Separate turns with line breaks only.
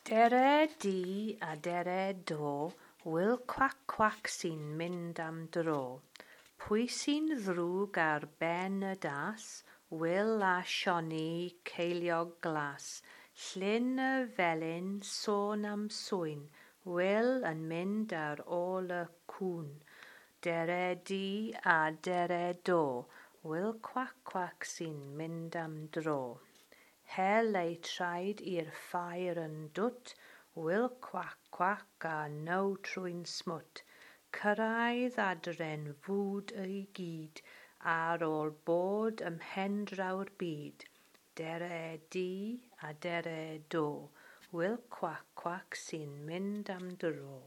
Dere di a dere do, Wil Cwac Cwac sy'n mynd am dro. Pwy sy'n ddrwg ar ben y das? Wil a Sioni Ceiliog Glas. Llyn y felin, sôn am sŵyn, Wil yn mynd ar ôl y cŵn. Dere di a dere do, Wil Cwac Cwac sy'n mynd am dro. Hel eu traed i'r ffair yn dwt, Wil Cwac Cwac a now trwy'n smwt. Cyrraedd adre'n fwd i gyd, ar ôl bod ym mhen draw'r byd. Dere di a dere do, Wil Cwac Cwac sy'n mynd am dro.